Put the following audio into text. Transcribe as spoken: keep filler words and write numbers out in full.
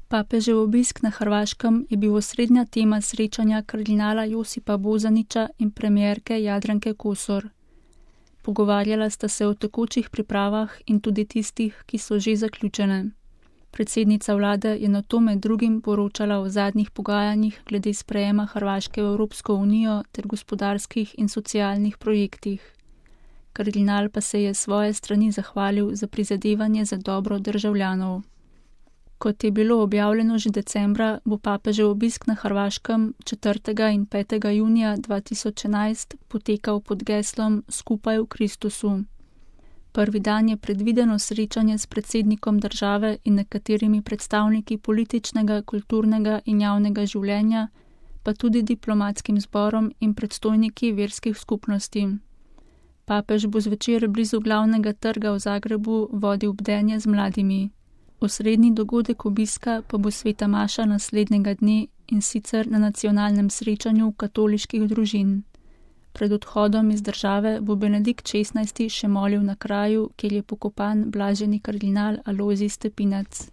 Papežev obisk na Hrvaškem je bil osrednja tema srečanja kardinala Josipa Bozanića in premierke Jadranke Kosor. Pogovarjala sta se o tekočih pripravah in tudi tistih, ki so že zaključene. Predsednica vlade je nato med drugim poročala o zadnjih pogajanjih glede sprejema Hrvaške v Evropsko unijo ter gospodarskih in socialnih projektih. Kardinal pa se je s svoje strani zahvalil za prizadevanje za dobro državljanov. Kot je bilo objavljeno že decembra, bo papežev obisk na Hrvaškem četrtega in petega junija dva tisoč enajst potekal pod geslom Skupaj v Kristusu. Prvi dan je predvideno srečanje s predsednikom države in nekaterimi predstavniki političnega, kulturnega in javnega življenja, pa tudi diplomatskim zborom in predstojniki verskih skupnosti. Papež bo zvečer blizu glavnega trga v Zagrebu vodil bdenje z mladimi. Osrednji dogodek obiska pa bo sveta maša naslednjega dne, in sicer na nacionalnem srečanju katoliških družin. Pred odhodom iz države bo Benedikt šestnajsti še molil na kraju, kjer je pokopan blaženi kardinal Alojzij Stepinac.